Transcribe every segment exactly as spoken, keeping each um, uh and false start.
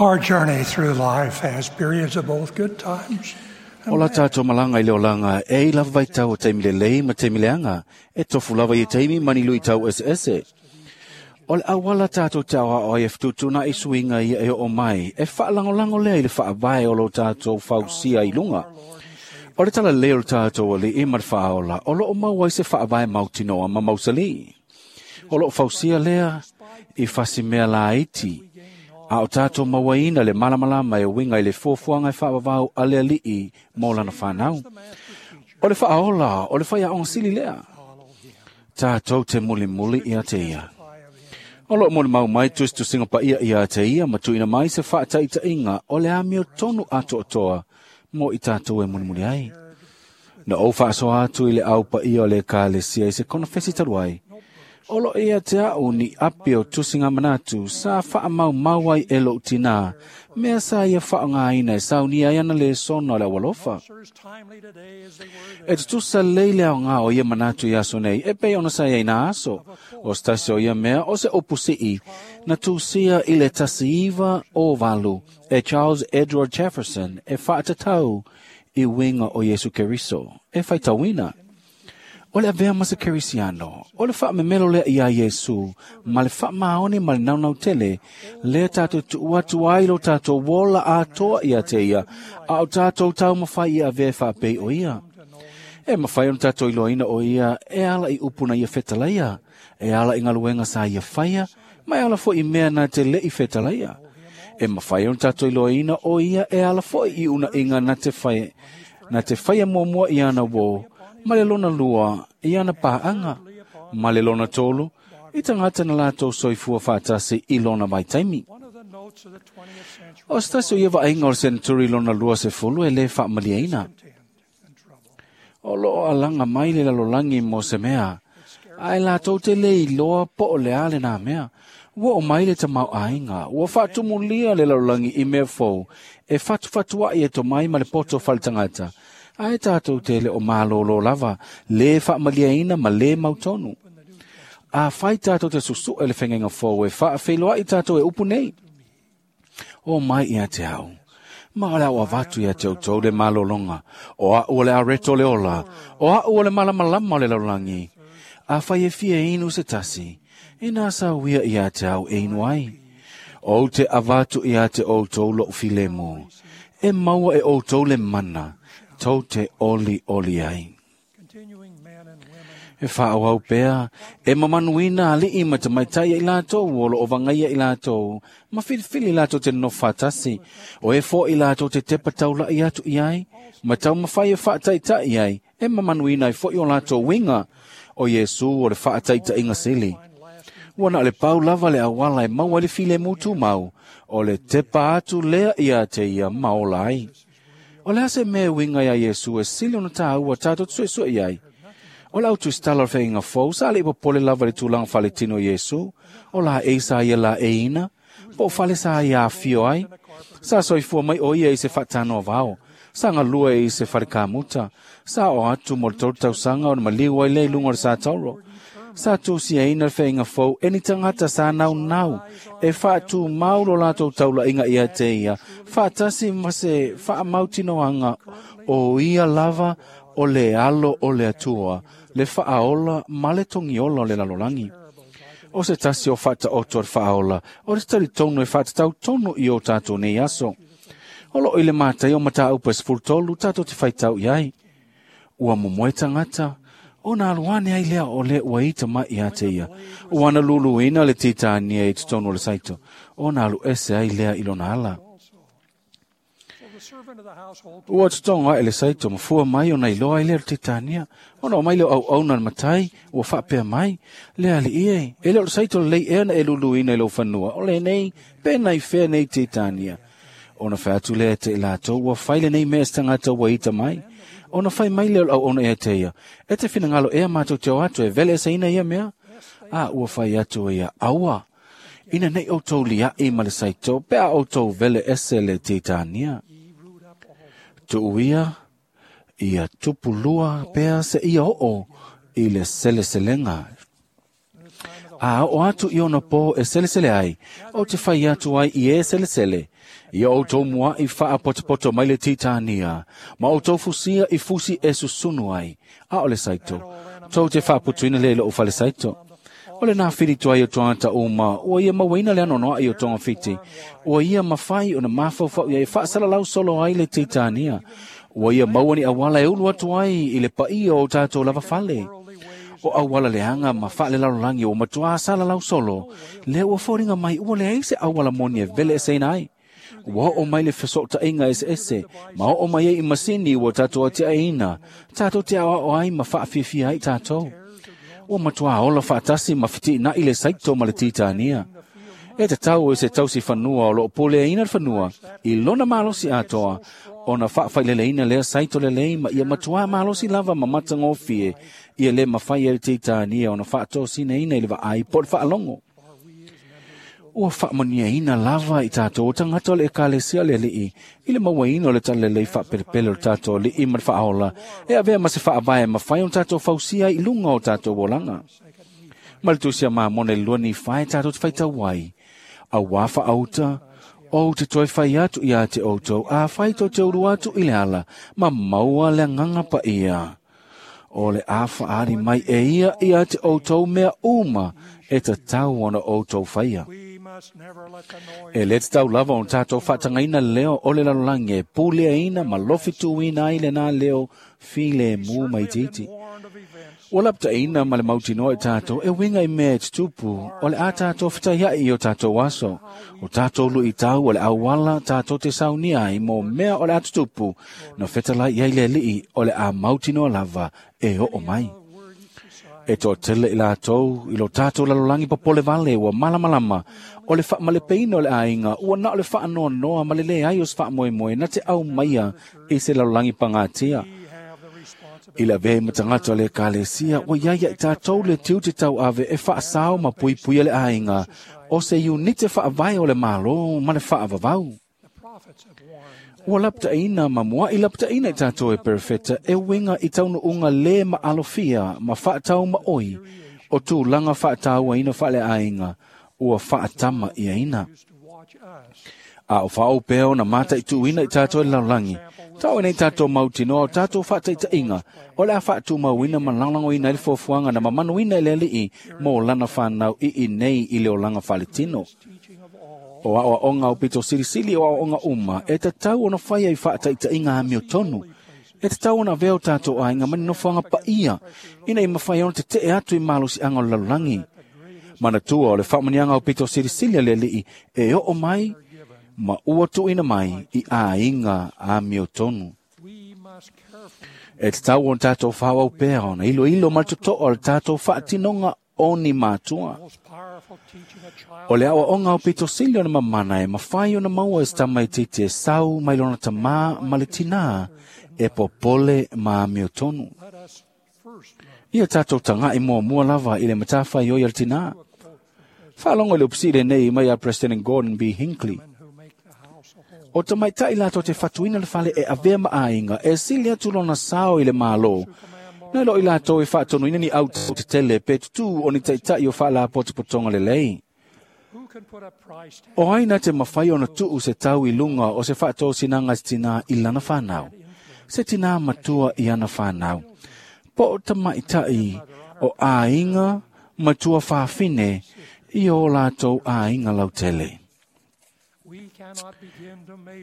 Our journey through life has periods of both good times O la tātou malanga i le olanga, e i lava vai tau o taimi le lei ma taimi leanga, e tofu lava i taimi mani lui tau ese ese. O le awala tātou te awa o e fututuna i suinga i e o mai, e whaalangolango lea i le whaavae o lo tātou fausia i lunga. O le tala leo le tātou ali i mar whaola, o lo o mau ai se whaavae mautinoa ma mausali. O lo fausia lea i fasi mea la iti, a o tātou mawaina le malamalama e winga i le fuafuaga e faavavau a le ali'i mo lana fanau. O le faaola, o le faiaoga sili lea. Tātou te mulimuli ia te ia. O loo molimau mai tusitusiga paia ia te ia ma tuuina mai se faataitaiga o le amio tonu atoatoa mo i tatou e mulimuli ai. Na ou faasoa atu i le au paia o le ekalesia i se konofesi talu ai. O lo ia te au ni api o tusinga manatu sa wha ai e lou tinā, mea sa ia whaangāina e saunia ai ana le sona o le awalofa. E tutusa leile au ngā o ia manatu i aso nei, e pei ona sa ia ina aso. O stasi o ia mea o se opusii na tusia i le tasiiva o valu e Charles Edward Jefferson e whaatatau i winga o Yesu Keriso, e whaitauina. O le avea ma se kerisiano, o le whaamemelo lea ia Yesu, ma le whaamaone ma le naunau tele, lea tātou tuu atu ai lo tātou wola atoa ia te ia, a o tātou tau mawhai ia avea whaapei o ia. E mawhai ona tātou iloaina o ia, e ala i upuna ia whetalaia, e ala i ngaluenga sa ia whaia, ma e ala fo i mea na te lei whetalaia. E mawhai ona tātou iloaina o ia, e ala fo i una inga na te whaia, na te whaia muamua i ana wo, ma le lona lua i ana paanga, ma le lona tolu, i tangata na lātou soifua whaatasi i lona vaitaimi. O stasi o ia vaaiga o le senturi lona lua se fulu e le faamaliaina. O loo alaga mai le lalolagi mo se mea, ae latou te le iloa po o le a lenā mea. Ua o mai le tamauaiga, ua faatumulia le lalolagi i mea fou, e fatufatuaʻi e tomai ma le poto faletagata, ae tātou te le o malōlō lava, lē faamaliaina ma lē mautonu. A fai tātou te susuʻe le fegaiga fou e faafeiloaʻi tātou e upu nei. O mai ia te au. Ma o le au avatu ia te outou le malologa. O a'u o le areto le ola. O a'u o le malamalama o le lalolagi. A fai e fia inu se tasi. Ina sa uia ia te au e inu ai. O te avatu ia te outou lo'u filemu. E maua e outou le mana. Tou te oli oli ai. E whaawau pea, e mamanuina ali'i ma te maitai i lātou, o lo o vangaia i lātou, ma filifili lātou te no whatasi, o e fo i lātou te tepa taulai atu i ai, ma tau mawhai e whaataitai ai, e mamanuina i fo i o lātou winga, o Yesu o le whaataitaiga sili. Ua na le pau lava le awala e maua le file mutu mau, o le tepa atu lea ia te ia maola ai. O le ase mea winga ia Yesu e sili ona tāua tātou tsuesue i ai. O le autu stala o le whainga fou, sa le ipo pole lava le tūlanga whaletino Yesu, o la e sa ia la e ina, po o fale sa ia awhio ai, sa soifua mai o ia i se whatano vao, sa ngā lua i se wharekamuta, sa o atu mo le tolu tausanga o na maliu ai le lunga o le sa tauro. Sa tūsia ina le whainga fou, e ni tangata sa nau nau, e whaatu mau lo lātou taula inga ia te ia, whaatasi ma se whaamautinoanga o ia lava o le alo o le atua, le whaaola ma le tongiola o le lalolangi. O se tasi o whata oto o le whaaola, o le tari tono e whaatatau tono i o tātou nei aso. O lo i le mātai o mata upa sefulutolu tātou te whaitau i ai. Ua momoe tangata, o nā aluane ai lea o le ua ita mai ia te ia. O ana luluina le titania i totonu o le saito, o nā alu ese ai lea i lona ala. Ua tutonga e le saito mafua mai o na iloa ai lea le titania. Ona o mai leo au au na le matai, ua whaapea mai, lea ali ie. E leo le saito le lei ea na e luluina i lau fanua, o le nei, pena i whea nei titania. Ona whaatu lea te lātou, ua whaile nei mea stangata ua ita mai. Ona whai mai leo au ona ea te ia. E te whinangalo ea mātou te o atu e vele ese ina ia mea. A ua whai atu e ia aua. Ina nei o tau lia i ma le saito, pea o tau vele ese le titania. Tuuia ia tupulua pea se ia oo i le seleselega. A o atu i ona po e selesele ai, o te whai atu ai i e selesele. Ia o tō mua i whaapotopoto mai le titania, ma o tō fusia i fusi e susunu ai, a o le saito. Tō te whaaputuina le lo o whale saito. O le nā whiri tuai o tuata uma, ua ia mawaina le anonoa i o tonga whiti. Ua ia mawhai o na mawhauwhau ia e whaasalalau solo ai le titania. Ua ia mauani awala e ulu atu ai i le paia o tātou lava fale. O awala leanga ma whaale lalolagi o matua salalau solo, le ua fōringa mai ua le ai se awala moni e vele e seina ai. Ua o mai le fesota inga ese ese, ma o mai e i masini ua tātou ate aina, tātou te awa o ai ma whaafiafia ai tātou. Ua matua ola whaatasi ma whiti na i le saito ma le titania. E te tau e se tausi whanua o loo pole ina whanua, i lona malosi atoa, o na whaawhailele ina lea saito le lei ma ia matua malosi lava ma matangofie, ia le mawhai e le titania o na whaatosina ina i le vaai po le whaalongo. Ua whaamania ina lava i tātou o tangata o le ekalesia le lii, i le mawaina o le talalelei whaapelepele o tātou lii ma le whaaola, e avea ma se whaavae mawhai o tātou fausia i lunga o tātou olanga. Ma le tusia mā mone lua ni whai tātou te whaitau ai. A wā whaauta, o te toi whai atu i a te outou, a whai tō te uru atu i le ala, ma maua le nganga pa ia. O le a whaari mai e ia i a te outou mea uma, e ta tau ona outou whaia. E le tau lava o tātou whaatangaina leo o le lalolangi e pulea ina ma lofi tuina ai le nā leo file mū mai titi. Ua lapta ina ma le mautinoa i tātou e winga i mea e tutupu o le a tātou whitaiai i o tātou aso. O tātou lui i tau o le awala tātou te saunia ai mō mea o le a tutupu no whetalai i ai le lii o le a mautinoa lava e o o mai. E tō tele i lātou, i lo tātou lalolangi papole vale ua malamalama, o le whaamalepeina o le ainga, ua na o le whaanoa noa ma le le ai o se whaamoemoe na te au maia i se lalolangi pangatia. I la vei matangata o le ekalesia, ua iaia i tātou le tiu te tau ave e whaasao ma puipuia le ainga, o se unite whaavae o le malo ma le whaavavau. Ua lapta ina ma mua i lapta ina i tātou e perfeta e winga i taunu unga le ma alofia ma whaatau ma oi o tūlanga whaatau ina whaale ainga ua whaatama ia ina. A o whaau peo na mata i tūina i tātou e laulangi. Tau ina i tātou mautinoa o tātou whaataita inga o le a whaatūmau ina ma langlango ina i le fuafuaga na mamanu ina i le alii mō lana whanau i i nei i le olanga whaletino. O a oa o pito silisili o aoaoga uma, e tatau ona whaia i whaataita inga amio tonu. E tatau ona veo tātou ainga mani nofoanga paia, ina i mawhai ona te te atu i malosi anga o lalulangi. Manatua o le whaamanianga o pito silisili a le alii, e oo mai, ma ua tuina mai i ainga amio tonu. E tatau ona tātou whawau pea ona, ilo ilo matotoa o le tātou whaatinonga o ni mātua. O le awa onga o pito sili o na mamana e mawhai o na maua e stamai titi e sau mai lona tamā ma le tinā e popole ma amio tonu. Ia tātou tanga i mua mua lava i le matawhai o ia le tinā. Whaalongo i le upsire nei mai a President Gordon B. Hinckley. O ta maitai lātou te whatuina le whale e avea maainga e sili atu lona sao i le mālo. Nei lo i lātou e whaatono ina ni au te tele pe tutu o ni taitai o whaala potopotonga le lei. O aina te mawhai o na tuu se tau i lunga o se whaatō sinanga se tina i lana whanau. Se tina matua i ana whanau. Po o ta maitai o āinga matua whawhine i o lātou āinga lautele.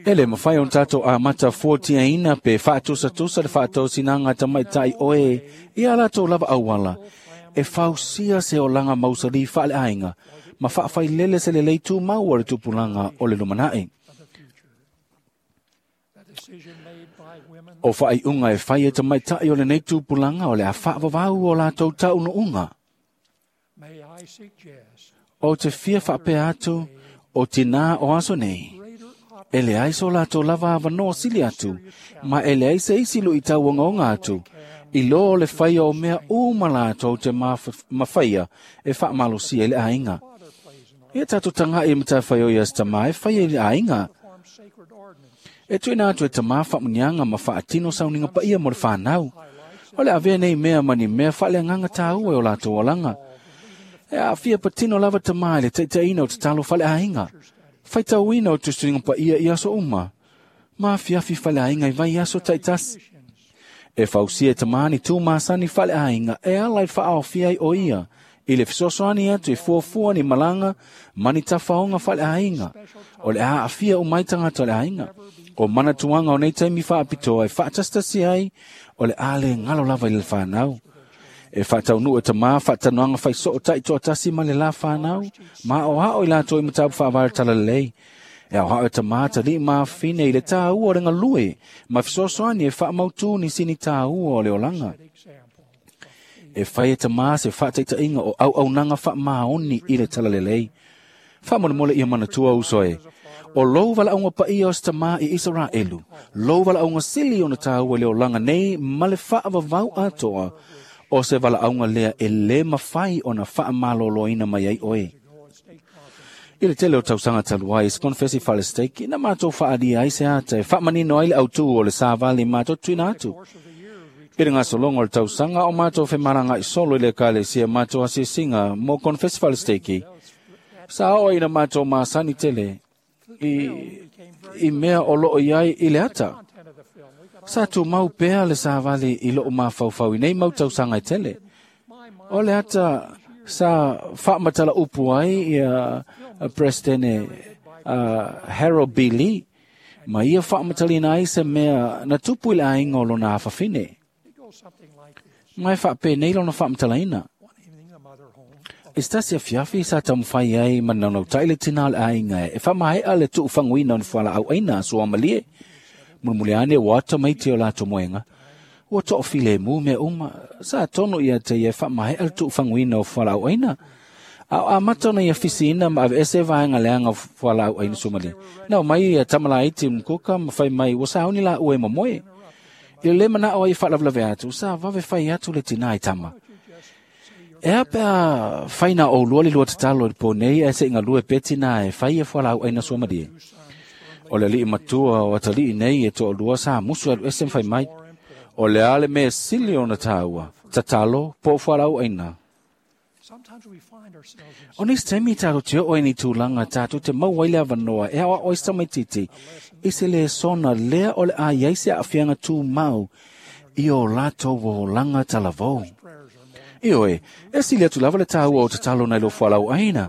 E le mawhai o tātou a mata fuatia ina pe whaatusatusa le whaatausinanga tamaitai oe i a lātou lava awala. E fausia se o langa mausali whaale ainga, ma whaawhai lele se le leitu maua le tupulanga o le lumanae. O whaai unga e whai e tamaitai o le nei tupulanga o le a whaavavau o lātou tauno unga. O te fia whaapea atu o tina o aso nei. E le ai so lātou lava awanoa sili atu, ma e le ai se isi lu i tau ongaonga atu, i lo le whaia o mea uma lātou te mawhaia e whaamalosia i le ainga. Ia tātou tanga i matawhai o ia stama e whaia i le ainga. E tuina atu e tamā whaamunianga ma whaatino sauninga paia mo le whanau. O le avea nei mea mani mea whaale nganga tāua e o lātou olanga. E aafia patino lava tamā i le taʻitaʻina o tatalo faleaiga, faitauina o tusuiga paia i aso uma, ma afiafi faleaiga i vaiaso taʻitasi. E fausia e tamā ni tu masani faleaiga e ala i faaofia ai o ia i le fesoasoani atu e fuafua ni malaga ma ni tafaoga faleaiga o le aafia umai tagata o le aiga. O manatuaga o nei taimi faapitoa e faatasitasi ai o le a le galo lava i le fanau. E faataunuu e tamā faatanoaga faisoo taitoatasi ma le la fanau, ma aoao i latou i mataupu faavae o le talalelei. E aoao e tamā talii ma afine i le tāua o le galue ma fesoasoani e faamautū nisi ni tāua o le olaga. E fai e tamā se faataitaiga o auaunaga faamaoni i le talalelei. Faamolemole ia manatua uso e, o lou valaauga paia o se tamā i Isaraelu, lou valaauga sili ona tāua i le olaga nei ma le faavavau atoa, o se valaauga lea e lē mafai ona faamalōlōina mai ai oe. I le tele o tausaga talu ai, se konefesi falesteiki, na matou faaalia ai se ata e faamanino ai le autū o le savali matou tuina atu. I le gasologa o le tausaga o matou femalagaʻi solo i le ekalesia matou asiasiga mo konefesi falesteiki, sa oo ina matou masani tele i, i mea o loo i ai i le ata. Sa tumau pea le savali i loo mafaufau i nei mau tausaga e tele. O le ata sa faamatala upu ai ia Presidente uh, Harold B. Lee, ma ia faamataliina ai se mea na tupu i le aiga o lona afafine. Ma e faapenei lona faamatalaina. I se tasi afiafi sa taumafai ai ma naunautai le tinā o le aiga e faamaea le tuufaguina o ni fualaau aina a suamalie. Mulimuli ane ua ata mai te o latou moega, ua toafilemu mea uma, sa tonu ia te ia e faamaea le tuufaguina o fualaau aina. A o amata ona ia fisiina ma aveese vaega leaga o fualaau aina suamalie. Na o mai ia tamalaiti mkuka ma fai mai ua sauni laua e momoe. I le lē manao ai e faalavelave atu, sa vave fai atu le tinā i tama. E a pea faina o lua le lua tatalo i le pō nei ae seʻi galue pea tinā e fai e fualaau aina suamalie. O le alii matua o atalii nei e toalua sa musu alu ese ma fai mai. O le a le mea sili ona tāua, tatalo po o fualaau aina. O nisi taimi tatou te oo ai ni tulaga tatou te maua ai le avanoa e aoao ai se tamaititi i se lesona lea o le a iai se aafiaga tumau i o latou olaga talavou. Ioe, e sili atu lava le tāua o tatalo nai lo fualaau aina.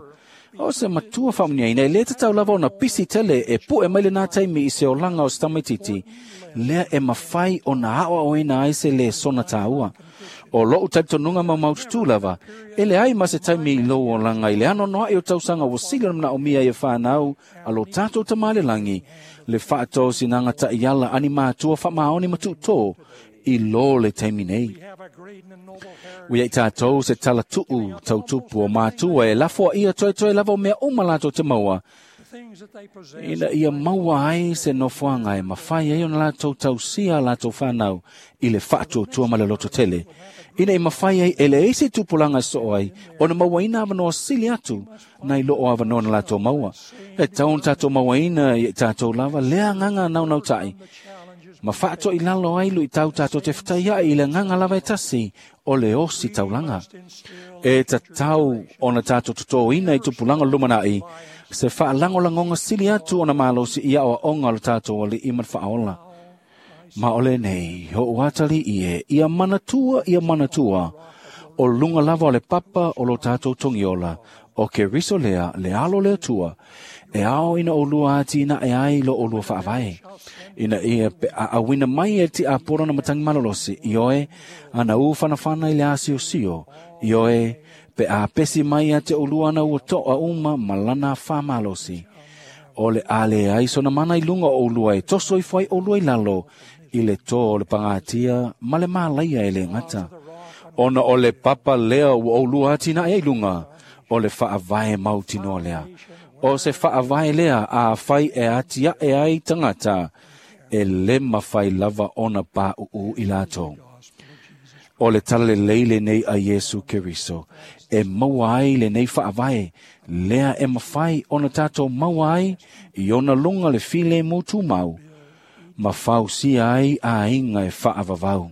O se matua faamuniaina e lē tatau lava ona pisi tele e puʻe mai lenā taimi i se olaga o se tamaititi, lea e mafai ona aoaoina ai se lesona tāua. O lou talitonuga maumaututu lava, e leai ma se taimi i lou olaga i le anoanoaʻi o tausaga ua sili ona manaomia ia fanau a lo tatou tamā le lagi, le faatosinaga taʻiala ani matua faamaoni ma tuutō i lō le taimi nei. Ua iai tatou se talatuu tautupu o matua e lafoaia toetoe lava o mea uma latou te maua, ina ia maua ai se nofoaga e mafai ai ona latou tausia a latou fanau i le faatuatua ma le loto tele, ina i mafai ai e leai se tupulaga e soo ai ona mauaina avanoa sili atu nai loo avanoa na latou maua. E tatau ona tatou mauaina ia i tatou lava lea agaga naunautai ma faatoʻi lalo ai luitau tatou te fetaiaʻi i le agaga lava e tasi o le osi taulaga. E tatau ona tatou totōina i tupulaga o le lumanaʻi se faalagolagoga sili atu ona malosi i aoaoga o le tatou alii ma le faaola. Ma o lenei hoʻu atalii e ia manatua ia manatua o luga lava o le papa o lo tatou togiola o Keriso lea le alo le Atua e ao ina olua atinae ai lo olua faavae. Ina ia pe aauina mai e tiapolo na matangi malolosi, ioe ana u whanawhana i le asiosio, ioe pe a pesi mai a te olua ana ua toa uma malana whamalosi. O le ale ai sona mana i lunga o olua e toso i whai olua i lalo, i le tō o le pangatia ma le malaia e le ngata. Ona o le papa lea ua olua atinae ai lunga, o le faavae mautinoa lea. O se faavae lea a whai e atia e ai tangata, e le mawhai lava ona pā uu i lātou. O le tala lelei lenei a Iesu Keriso, e maua ai lenei faavae, lea e mawhai ona tātou maua ai, i ona lunga le file mo tūmau, ma fausia ai a inga e faavavau.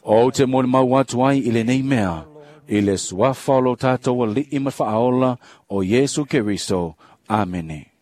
O te mo le mau atu ai i lenei mea, I le suafa o lo tātou ali'i ma faaola o Iesu Keriso. Amene.